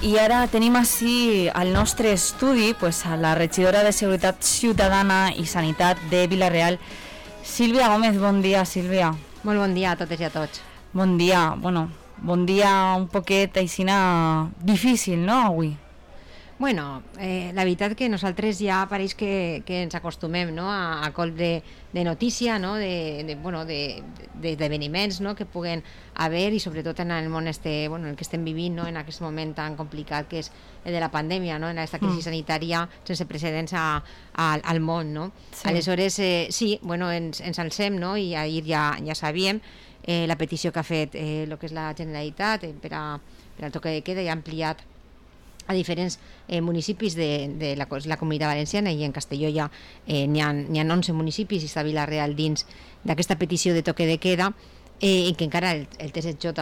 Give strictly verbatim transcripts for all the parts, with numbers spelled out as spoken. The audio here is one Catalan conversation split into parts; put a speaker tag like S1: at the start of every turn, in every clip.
S1: I ara tenim així al nostre estudi pues, a la regidora de Seguretat Ciutadana i Sanitat de Vila-real, Sílvia Gómez. Bon dia, Sílvia.
S2: Molt bon dia a totes i a tots.
S1: Bon dia, bueno, bon dia un poquet aixina difícil, no, avui?
S2: Bueno, eh, la veritat que nosaltres ja pareix que, que ens acostumem, no, a, a colp de, de notícia, no, de, de, bueno, de, de, d'esdeveniments, no, que puguen haver, i sobretot en el món este, bueno, en el que estem vivint, no, en aquest moment tan complicat que és el de la pandèmia, no, en aquesta crisi mm. sanitària sense precedents a, a, al món, no? Sí. Aleshores, eh, sí, bueno, ens, ens alcem, no, i ahir ja, ja sabíem eh, la petició que ha fet eh, el que és la Generalitat eh, per, a, per al toque de queda, i ha ampliat a diferents eh, municipis de, de la, la Comunitat Valenciana, i en Castelló ja eh, n'hi ha, n'hi ha onze municipis, i està Vila-real dins d'aquesta petició de toque de queda, eh, i que encara el, el T S J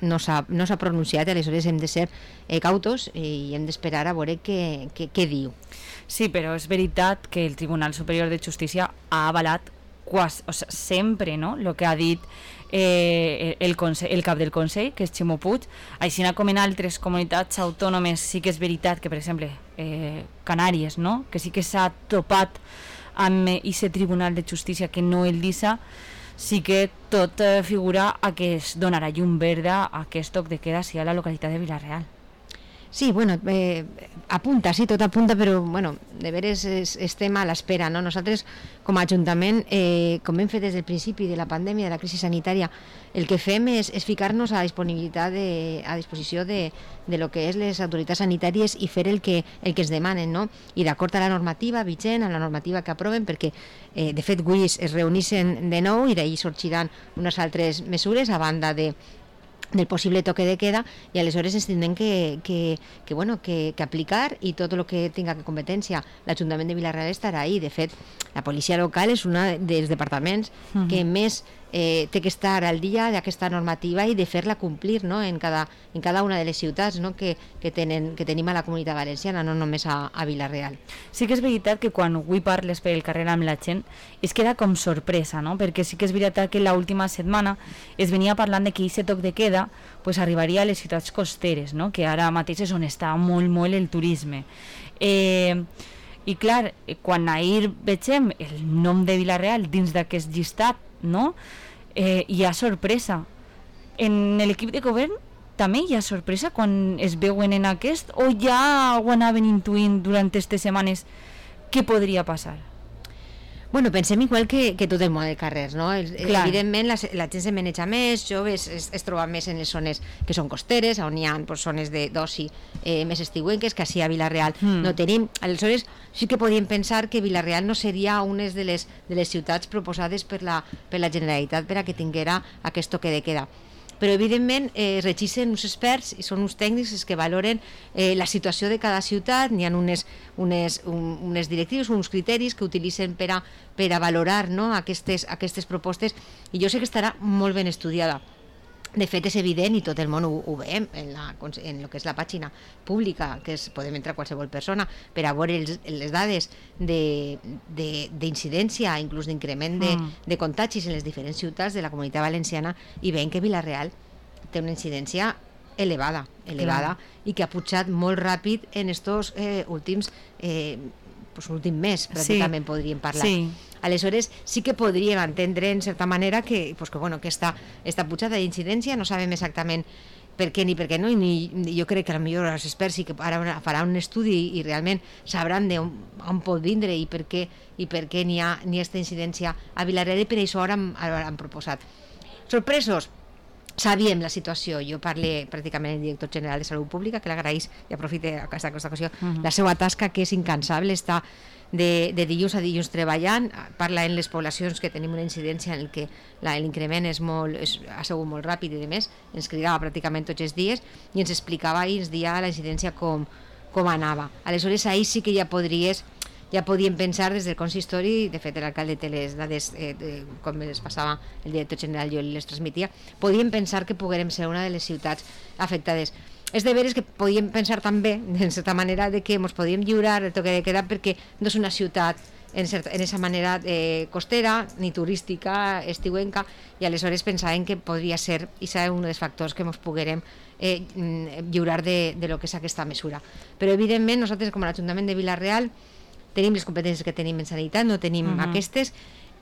S2: no s'ha, no s'ha pronunciat. Aleshores hem de ser eh, cautos i hem d'esperar a veure què, què, què diu.
S1: Sí, però és veritat que el Tribunal Superior de Justícia ha avalat quasi, o sigui, sempre, no?, el que ha dit eh, el, consell, el cap del Consell, que és Ximo Puig. Així com en altres comunitats autònomes sí que és veritat que, per exemple, eh, Canàries, no?, que sí que s'ha topat amb aquest Tribunal de Justícia que no el deixa, sí que tot eh, figura a que es donarà llum verda a aquest toc de queda sí a la localitat de Vila-real.
S2: Sí, bueno, eh, apunta, sí, tot apunta, però, bueno, de veres es, estem a l'espera, no? Nosaltres, com a Ajuntament, eh, com hem fet des del principi de la pandèmia, de la crisi sanitària, el que fem és, és ficar-nos a disponibilitat, de, a disposició de, de lo que és les autoritats sanitàries i fer el que, el que es demanen, no? I d'acord a la normativa vigent, a la normativa que aproven, perquè, eh, de fet, avui es reunissen de nou i d'ahir sorgiran unes altres mesures a banda de del possible toque de queda, i aleshores ens tindrem que, que, que, bueno, que, que aplicar, i tot el que tinga que competència l'Ajuntament de Vila-real estarà ahí. De fet, la policia local és un dels departaments uh-huh. que més eh, té que estar al dia d'aquesta normativa i de fer-la complir, no?, en, cada, en cada una de les ciutats, no?, que, que, tenen, que tenim a la Comunitat Valenciana, no només a, a Vila-real.
S1: Sí que és veritat que quan avui parles per el carrer amb la gent es queda com sorpresa, no?, perquè sí que és veritat que l'última setmana es venia parlant de que aquest toc de queda pues arribaria a les ciutats costeres, no?, que ara mateix és on està molt, molt el turisme. Eh, I clar, quan ahir vegem el nom de Vila-real dins d'aquest llistat, no?, eh, hi ha sorpresa. En l'equip de govern també hi ha sorpresa quan es veuen en aquest, o ja ho anaven intuint durant aquestes setmanes què podria passar?
S2: Bueno, pensem igual que, que tot el món de carrers, no? El, evidentment la, la gent se maneja més, joves es, es troba més en les zones que són costeres, on hi ha pues, zones d'oci eh, més estiuenques, que així a Vila-real mm. no tenim. Aleshores sí que podíem pensar que Vila-real no seria una de les, de les ciutats proposades per la, per la Generalitat per a que tinguera aquest toque de queda. Però evidentment eh, regixen uns experts i són uns tècnics els que valoren eh, la situació de cada ciutat. N'hi ha unes, unes, un, unes directrius, uns criteris que utilitzen per a, per a valorar, no?, aquestes, aquestes propostes, i jo sé que estarà molt ben estudiada. De fet, és evident, i tot el món ho, ho veiem en, la, en el que és la pàgina pública, que és, podem entrar qualsevol persona per a veure els, les dades d'incidència, inclús d'increment de, mm. de contagis en les diferents ciutats de la Comunitat Valenciana, i veiem que Vila-real té una incidència elevada, elevada mm. i que ha pujat molt ràpid en estos eh, últims eh, pues, últim mes, pràcticament sí. podríem parlar. Sí. Aleshores sí que podríem entendre en certa manera que, pues, que, bueno, que esta, esta pujada d'incidència no sabem exactament per què ni per què no, i ni, jo crec que potser els experts sí que ara faran un estudi i realment sabran d'on on pot vindre i per què i per què n'hi ha ni aquesta incidència a Vila-real, i per això ara han, ara han proposat. Sorpresos? Sabíem la situació. Jo parlé pràcticament amb el director general de Salut Pública, que l'agraeix i aprofite aquesta, aquesta ocasió, uh-huh. la seva tasca, que és incansable, està de, de dilluns a dilluns treballant, parla en les poblacions que tenim una incidència en què l'increment és molt, és, ha sigut molt ràpid i de més, ens cridava pràcticament tots els dies i ens explicava i ens dia la incidència com, com anava. Aleshores ahir sí que ja podries ja podíem pensar des del consistori, de fet l'alcalde té les dades, eh, de, com les passava el director general, jo les transmetia, podíem pensar que poguérem ser una de les ciutats afectades. És de veres que podíem pensar també, de certa manera, de que ens podíem lliurar el toque de queda perquè no és una ciutat en, cert, en esa manera eh, costera, ni turística, estiuenca, i aleshores pensàvem que podria ser, i serà un dels factors que ens poguérem eh, lliurar de, de lo que és aquesta mesura. Però evidentment nosaltres com a l'Ajuntament de Vila-real tenim les competències que tenim en sanitat, no tenim uh -huh. aquestes.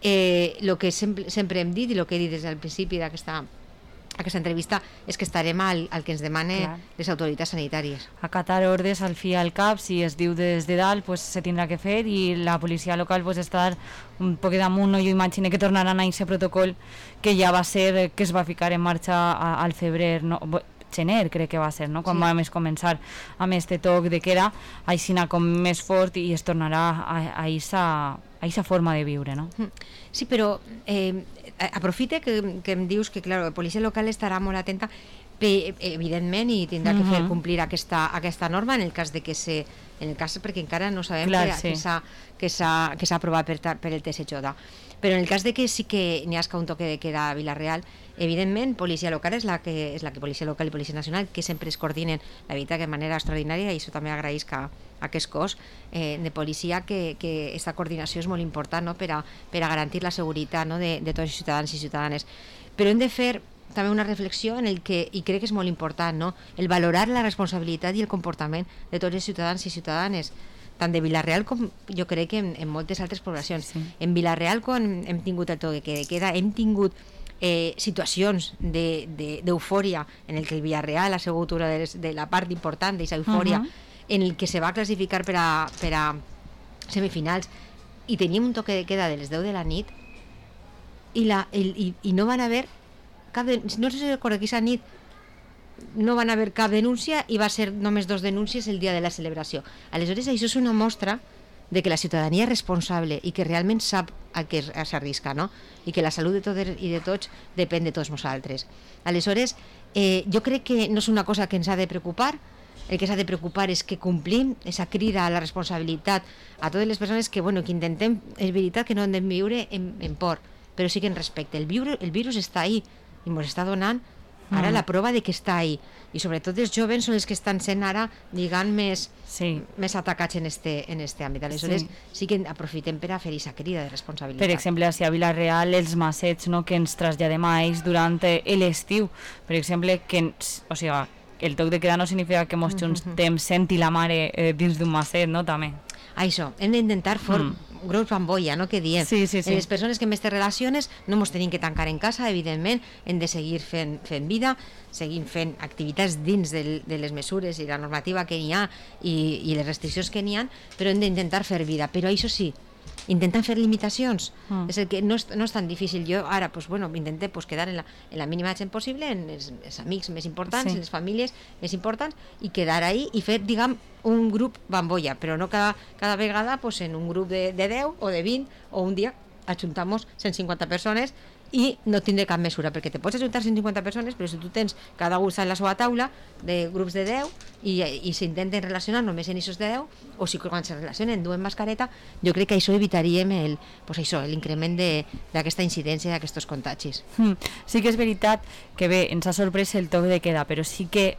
S2: Eh, lo que sempre, sempre hem dit i el que he dit des del principi d'aquesta aquesta entrevista és que estarem al, al que ens demane Clar. les autoritats sanitàries.
S1: Acatar ordres al fi i al cap, si es diu des de dalt pues, se tindrà que fer, i la policia local pues, estar un poc damunt, no? Jo imagino que tornaran a aquest protocol que ja va ser, que es va ficar en marxa a, al febrer, no? gener crec que va ser, no? Quan sí. vam començar amb este toc de queda, així anar com més fort i es tornarà a aquesta forma de viure, no?
S2: Sí, però eh, aprofite que, que em dius que clar, la policia local estarà molt atenta, pe, evidentment, i tindrà que fer complir aquesta, aquesta norma en el cas de que se, en el cas perquè encara no sabem clar, que, sí. que s'ha que s'ha aprovat per, per el T S J. Però en el cas de que sí que n'hi hagi un toque de queda a Vila-real, evidentment, policia local és la que és la que policia local i policia nacional que sempre es coordinen la veritat de manera extraordinària, i això també agraïs que a aquest cos eh, de policia que, que aquesta coordinació és molt important, no? per, a, per a garantir la seguretat, no? de, de tots els ciutadans i ciutadanes. Però hem de fer també una reflexió en el que, i crec que és molt important, no? el valorar la responsabilitat i el comportament de tots els ciutadans i ciutadanes, tant de Vila-real com jo crec que en, en moltes altres poblacions. Sí. En Vila-real, quan hem tingut el toque de queda, hem tingut eh, situacions d'eufòria de, de, en el que el Vila-real ha sigut una de, les, de la part important d'aquesta eufòria, uh -huh. en el que se va classificar per a, per a semifinals, i teníem un toque de queda de les deu de la nit, i, la, el, i, i no van haver cap de, no sé si recordo que aquesta nit no van haver cap denúncia, i va ser només dos denúncies el dia de la celebració. Aleshores, això és una mostra de que la ciutadania és responsable i que realment sap a què s'arrisca, no? I que la salut de tots i de tots depèn de tots nosaltres. Aleshores, eh, jo crec que no és una cosa que ens ha de preocupar. El que s'ha de preocupar és que complim aquesta crida a la responsabilitat a totes les persones que, bueno, que intentem, és veritat que no hem de viure en, en por, però sí que en respecte. El virus, el virus està ahí i ens està donant ara mm. la prova de que està ahí, i sobretot els joves són els que estan sent ara, diguem, més, sí. més atacats en este, en este àmbit. Aleshores sí. sí que aprofitem per a fer aquesta crida de responsabilitat.
S1: Per exemple, a Vila-real, els massets, no?, que ens traslladem a ells durant l'estiu, per exemple, que, o sigui, el toc de queda no significa que mos juntem mm-hmm. sent i la mare eh, dins d'un masset, no?, també.
S2: Això, hem d'intentar for mm. grups bambolla, no?, que diem.
S1: Sí, sí, sí.
S2: Les persones que més te relaciones no ens tenim que tancar en casa, evidentment, hem de seguir fent, fent vida, seguim fent activitats dins de, de les mesures i la normativa que n'hi ha i, i les restriccions que n'hi ha, però hem d'intentar fer vida. Però això sí, intentant fer limitacions, mm. és el que no és, no és tan difícil. Jo ara, pues, bueno, intenté pues, quedar en la, en la mínima gent possible, en els, els amics més importants, sí. en les famílies més importants, i quedar ahí i fer, diguem, un grup bambolla, però no cada, cada vegada pues, en un grup de, de deu o de vint, o un dia ajuntamos cent cinquanta persones i no tindré cap mesura, perquè te pots ajuntar cent cinquanta persones, però si tu tens cada un en la seva taula de grups de deu i, i s'intenten relacionar només en aquests de deu, o si quan se relacionen duen mascareta, jo crec que això evitaríem el, pues això, l'increment d'aquesta incidència, d'aquests contagis.
S1: Mm, sí que és veritat que bé, ens ha sorprès el toc de queda, però sí que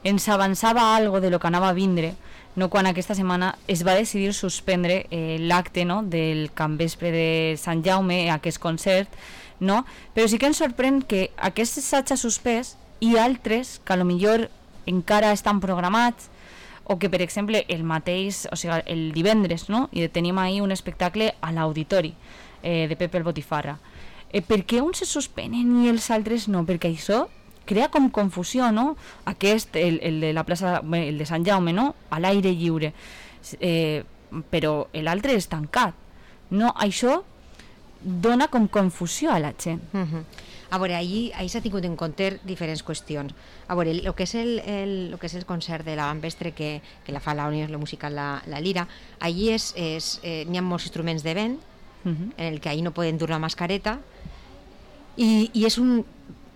S1: ens avançava algo de lo que anava a vindre, no, quan aquesta setmana es va decidir suspendre eh, l'acte, no?, del capvespre de Sant Jaume, aquest concert, no? Però sí que ens sorprèn que aquest s'hagi suspès i altres que a lo millor encara estan programats, o que per exemple el mateix, o sigui, el divendres, no?, i tenim ahir un espectacle a l'auditori eh, de Pepe el Botifarra. Eh, per què uns se suspenen i els altres no? Perquè això crea com confusió, no? Aquest, el, el de la plaça, el de Sant Jaume, no?, a l'aire lliure, eh, però l'altre és tancat, no? Això dona com confusió a la gent.
S2: Uh-huh. A veure, ahir, ahir s'ha tingut en compte diferents qüestions. A veure, el que és el, el, el, que és el concert de la Bambestre que, que la fa la Unió Musical La, la Lira, ahir és, és, eh, n'hi ha molts instruments de vent, uh-huh. en el que ahir no poden dur la mascareta, i, i és un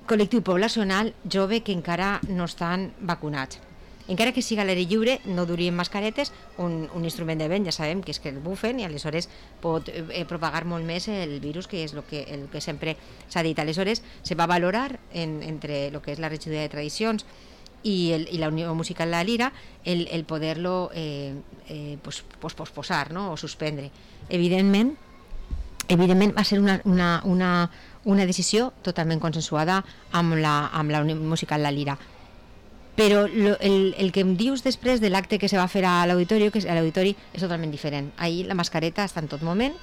S2: col·lectiu poblacional jove que encara no estan vacunats. Encara que siga a l'aire lliure, no durien mascaretes, un, un instrument de vent ja sabem que és que el bufen i aleshores pot eh, propagar molt més el virus, que és el que, el que sempre s'ha dit. Aleshores se va valorar en, entre el que és la regidoria de tradicions y, el, y la Unió Musical La Lira el, el poder-lo eh, eh, pues, pues posposar, no? O suspendre. Evidentment, evidentment va ser una, una, una, una decisió totalment consensuada amb la, amb la Unió Musical La Lira. Però lo, el, el que em dius després de l'acte que se va fer a l'auditori, que és, a l'auditori és totalment diferent. Ahir la mascareta està en tot moment,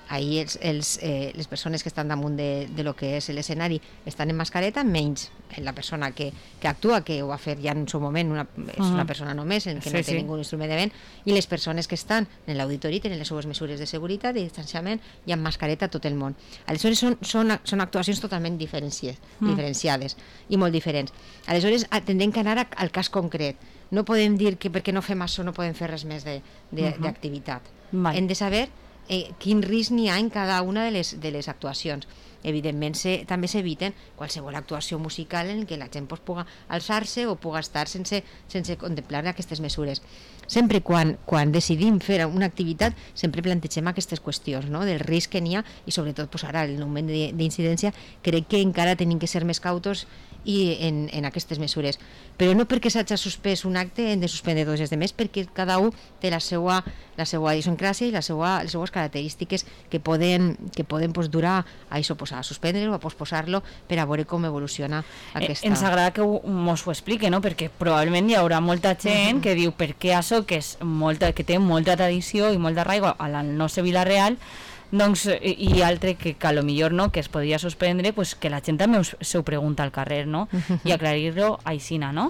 S2: ahir els, els, eh, les persones que estan damunt de, de lo que és l'escenari estan en mascareta, menys la persona que, que actua, que ho va fer ja en el seu moment, una, és uh-huh. una persona només, en que sí, no té sí. ningú instrument de vent, i les persones que estan en l'auditori tenen les seues mesures de seguretat, de distanciament i amb mascareta tot el món. Aleshores són, són, són actuacions totalment diferenciades, uh-huh. diferenciades i molt diferents. Aleshores tendem que anar al cas concret. No podem dir que perquè no fem això no podem fer res més d'activitat. Uh-huh. Hem de saber Eh, quin risc n'hi ha en cada una de les, de les actuacions. Evidentment se, també s'eviten qualsevol actuació musical en què la gent pues, puga alçar-se o puga estar sense, sense contemplar aquestes mesures. Sempre quan, quan decidim fer una activitat sempre plantegem aquestes qüestions, no? Del risc que n'hi ha i sobretot pues, ara en el moment d'incidència crec que encara tenim que ser més cautos i en, en aquestes mesures, però no perquè s'hagi suspès un acte hem de suspendre dos els demés, perquè cada un té la seva, la seva idiosincràsia i la seva, les seues característiques que poden, que poden pues, durar a això, pues, a suspendre-lo, a posposar-lo per a veure com evoluciona aquesta...
S1: Eh, ens agrada que mos ho explique, no? Perquè probablement hi haurà molta gent uh-huh. que diu per què això, que, és molta, que té molta tradició i molt d'arraigo a la nostra Vila-real, doncs, i altre que, que a lo millor no, que es podria suspendre, pues que la gent també se ho pregunta al carrer, no? I aclarir-lo aixina, no?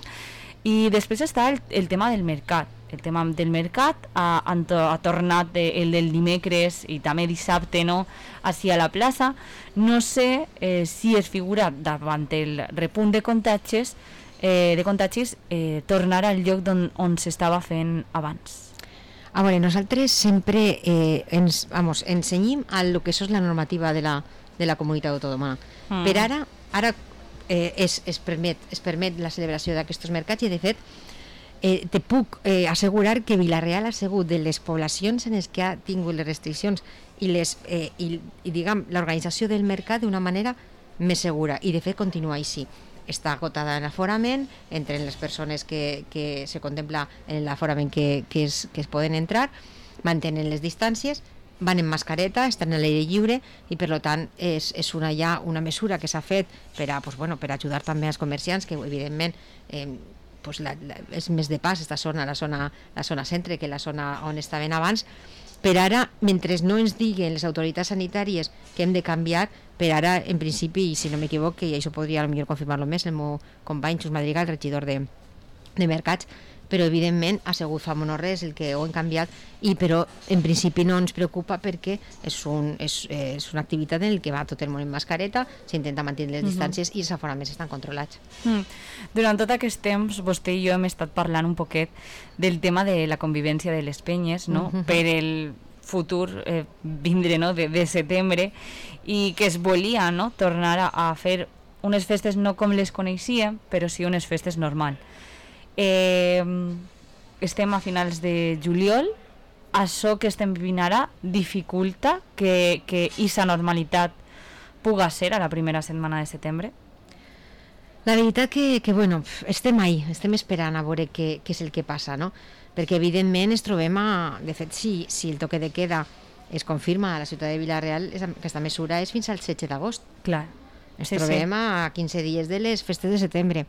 S1: I després està el, el tema del mercat. El tema del mercat ha, ha tornat el del dimecres i també dissabte, no? Així a la plaça. No sé eh, si es figura davant el repunt de contagis, eh, de contagis eh, tornar al lloc on, on s'estava fent abans.
S2: A veure, nosaltres sempre eh, ens, vamos, ensenyim a lo que és la normativa de la, de la comunitat autònoma. Mm. Per ara, ara eh, es, es, permet, es permet la celebració d'aquests mercats i, de fet, eh, te puc eh, assegurar que Vila-real ha sigut de les poblacions en les que ha tingut les restriccions i, les, eh, i, i diguem, l'organització del mercat d'una manera més segura, i de fet continua així. Està acotada en l'aforament, entre les persones que, que se contempla en l'aforament que, que, es, que es poden entrar, mantenen les distàncies, van en mascareta, estan a l'aire lliure i per tant és, és una, ja una mesura que s'ha fet per a, pues, bueno, per ajudar també als comerciants que evidentment eh, pues, la, la, és més de pas esta zona, la zona, la zona centre que la zona on estaven abans. Per ara, mentre no ens diguen les autoritats sanitàries que hem de canviar, per ara, en principi, i si no m'equivoc, i això podria potser confirmar-lo més, el meu company Xus Madrigal, regidor de, de Mercats, però evidentment ha sigut fa no res el que ho hem canviat, i però en principi no ens preocupa perquè és, un, és, és una activitat en què va tot el món en mascareta, s'intenta mantenir les uh-huh. distàncies i els aforaments estan controlats.
S1: Mm. Durant tot aquest temps vostè i jo hem estat parlant un poquet del tema de la convivència de les penyes, no? Uh-huh. Per el futur eh, vindre, no? de, de setembre, i que es volia, no? tornar a, a fer unes festes no com les coneixíem, però sí unes festes normal. Eh, estem a finals de juliol, això que estem vivint ara dificulta que, que aquesta normalitat puga ser a la primera setmana de setembre?
S2: La veritat que, que bueno, estem ahí, estem esperant a veure què, què és el que passa, no? Perquè evidentment es trobem a... De fet, si, si el toque de queda es confirma a la ciutat de Vila-real, aquesta mesura és fins al setze d'agost.
S1: Clar.
S2: Ens
S1: sí,
S2: trobem
S1: sí.
S2: a quinze dies de les festes de setembre.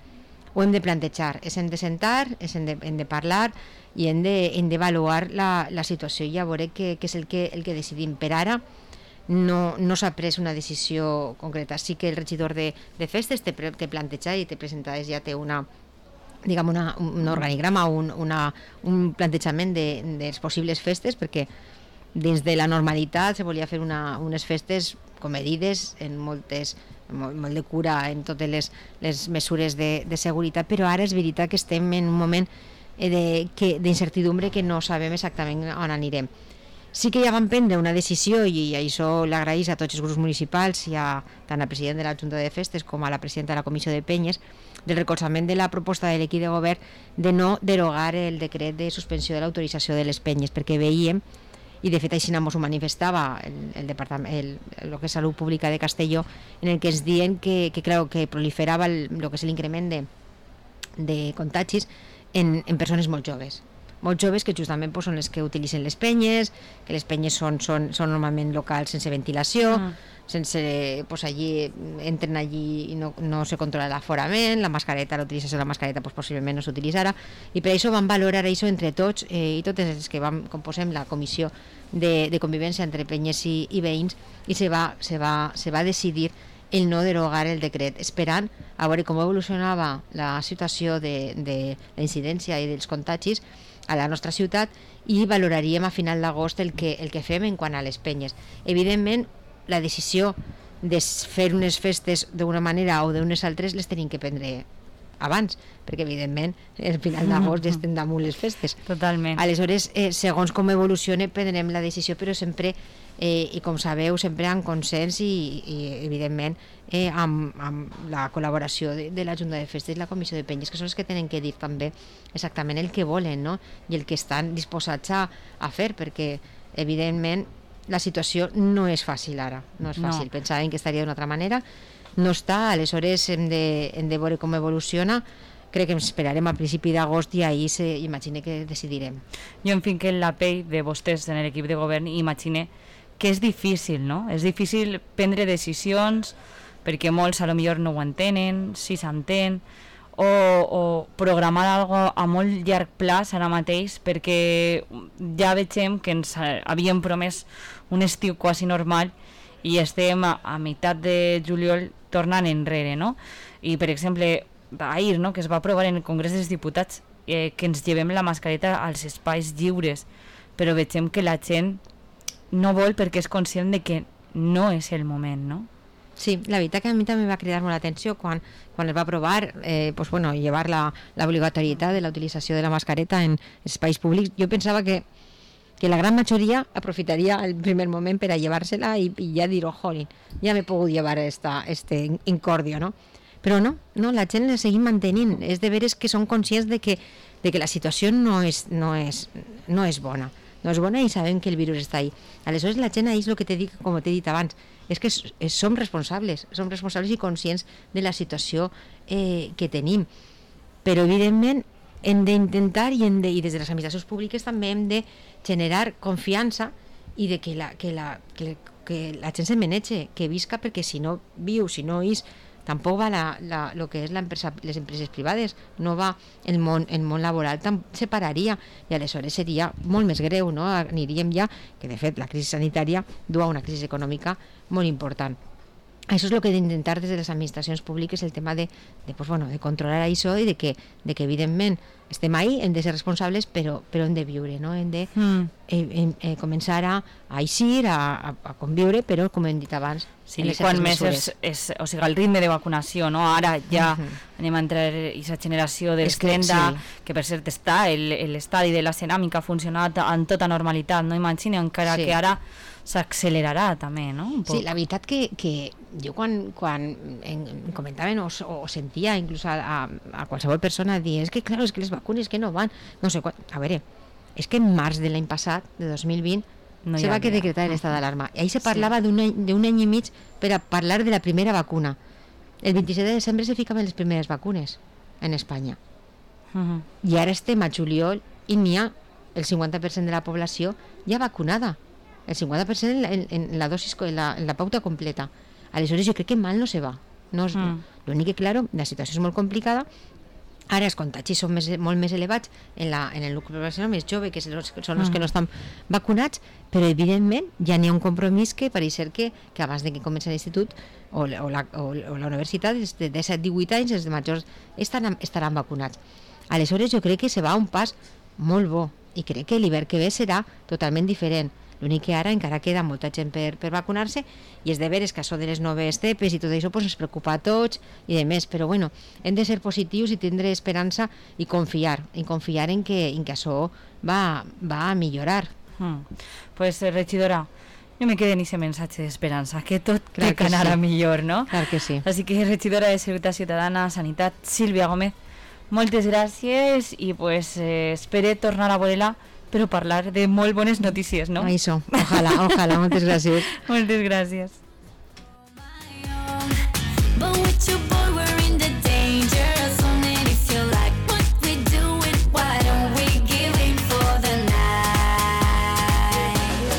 S2: Ho hem de plantejar, és hem de sentar, és hem de, hem de parlar i hem d'avaluar de, la, la situació i a veure què, què és el que, el que decidim. Per ara no, no s'ha pres una decisió concreta. Sí que el regidor de, de festes té, té plantejat i té presentades, ja té una, diguem una, un organigrama, un, una, un plantejament de, de les possibles festes, perquè dins de la normalitat se volia fer una, unes festes comedides en moltes molt, molt de cura en totes les, les mesures de, de seguretat, però ara és veritat que estem en un moment d'incertidumbre que no sabem exactament on anirem. Sí que ja vam prendre una decisió, i això l'agraïs a tots els grups municipals i a tant al president de la Junta de Festes com a la presidenta de la Comissió de Penyes, del recolzament de la proposta de l'equip de govern de no derogar el decret de suspensió de l'autorització de les penyes, perquè veiem, i de fet així ens ho manifestava el, el departament, el, el que és Salut Pública de Castelló, en el que ens diuen que, que, clar, que proliferava el, el que és l'increment de, de contagis en, en persones molt joves. Molt joves que justament pues, són les que utilitzen les penyes, que les penyes són, són, són normalment locals sense ventilació, mm. sense, pues, allí entren allí i no, no se controla l'aforament, la mascareta, la utilització de la mascareta pues, possiblement no s'utilitzarà, i per això vam valorar això entre tots eh, i totes les que vam, composem la comissió de, de convivència entre penyes i, i veïns, i se va, se, va, se va decidir el no derogar el decret, esperant a veure com evolucionava la situació de, de la incidència i dels contagis a la nostra ciutat, i valoraríem a final d'agost el que, el que fem en quant a les penyes. Evidentment, la decisió de fer unes festes d'una manera o d'unes altres les tenim que prendre abans, perquè evidentment el final d'agost ja estem damunt les festes.
S1: Totalment.
S2: Aleshores, eh, segons com evolucione, prendrem la decisió, però sempre, eh, i com sabeu, sempre en consens i, i evidentment, eh, amb, amb la col·laboració de, de la Junta de Festes i la Comissió de Penyes, que són els que tenen que dir també exactament el que volen, no? I el que estan disposats a, a fer, perquè evidentment la situació no és fàcil ara, no és fàcil. No. Pensàvem que estaria d'una altra manera, no està, aleshores hem de, hem de veure com evoluciona. Crec que ens esperarem al principi d'agost i ahir se, imagine que decidirem.
S1: Jo em finque en la pell de vostès en l'equip de govern i imagine que és difícil, no? És difícil prendre decisions perquè molts a lo millor no ho entenen, si s'entén, o, o programar algo a molt llarg plaç ara mateix, perquè ja vegem que ens havíem promès un estiu quasi normal i estem a, a meitat de juliol tornant enrere, no? I, per exemple, ahir, no?, que es va aprovar en el Congrés dels Diputats eh, que ens llevem la mascareta als espais lliures, però vegem que la gent no vol perquè és conscient de que no és el moment, no?
S2: Sí, la veritat que a mi també va cridar molt l'atenció quan, quan es va aprovar eh, pues, bueno, llevar la, la obligatorietat de la utilització de la mascareta en espais públics. Jo pensava que, que la gran majoria aprofitaria el primer moment per a llevar-se-la i, i ja dir, oh, jolín, ja m'he pogut llevar esta, este incordio, no? Però no, no, la gent la seguim mantenint. És de veres que són conscients de que, de que la situació no és, no, és, no és bona. No és bona i sabem que el virus està ahí. Aleshores la gent ahí és el que t'he dit, com t'he dit abans, és que és, és, som responsables, som responsables i conscients de la situació eh, que tenim. Però evidentment hem d'intentar i, hem de, i des de les administracions públiques també hem de generar confiança i de que la, que la, que, que la gent se menege, que visca, perquè si no viu, si no és, tampoc va la, la, lo que és l'empresa, les empreses privades, no va el món, el món laboral, se pararia i aleshores seria molt més greu, no? Aniríem ja, que de fet la crisi sanitària du a una crisi econòmica molt important. Això és el que hem d'intentar des de les administracions públiques, el tema de, de, pues, bueno, de controlar això i de que, de que evidentment estem ahí, hem de ser responsables, però, però hem de viure, no? Hem de mm. eh, eh, començar a, a eixir, a, a, a conviure, però com hem dit abans,
S1: sí, quan més és, és, o sigui, el ritme de vacunació, no? Ara ja uh -huh. anem a entrar en aquesta generació dels
S2: que,
S1: trenta,
S2: sí.
S1: que per cert està, l'estadi de la ceràmica ha funcionat en tota normalitat, no? Imagina, encara sí. que ara s'accelerarà també, no? Un poc.
S2: Sí, la veritat que, que jo quan, quan en, comentaven o, o sentia inclús a, a, a qualsevol persona dir, és que clar, és que les vacunes que no van, no sé quan, a veure, és que en març de l'any passat, de dos mil vint, no se va que decretar l'estat d'alarma. I ahí se parlava sí. d'un any, d'un any i mig per a parlar de la primera vacuna. El vint-i-set de desembre se ficaven les primeres vacunes en Espanya. Uh -huh. I ara estem a juliol i n'hi ha el cinquanta per cent de la població ja vacunada. El cinquanta per cent en la, en, en la dosis, en la, en la pauta completa. Aleshores jo crec que mal no se va. No és, mm. L'únic que, claro, la situació és molt complicada. Ara els contagis són més, molt més elevats en, la, en el nucli poblacional més jove, que són els, són els mm. que no estan vacunats, però evidentment ja n'hi ha un compromís que pareix ser que, que abans de que comenci l'institut o, o, la, o, o la universitat, de disset a divuit anys, els de majors estaran, estaran vacunats. Aleshores jo crec que se va a un pas molt bo i crec que l'hivern que ve serà totalment diferent. L'únic que ara encara queda molta gent per, per vacunar-se i és de veres que això de les noves cepes i tot això pues, ens preocupa a tots i de més, però bueno, hem de ser positius i tindre esperança i confiar, i confiar en que, en que això va, va a millorar.
S1: Mm. Pues, regidora, no me queda ni ese mensaje de esperanza, que tot té que anar a millor, no?
S2: Clar que sí.
S1: Així que, regidora de Seguretat Ciutadana, Sanitat, Sílvia Gómez, moltes gràcies i pues, eh, espere tornar a veure-la però parlar de molt bones notícies, no?
S2: Això, ojalà, ojalà, moltes gràcies.
S1: Moltes gràcies.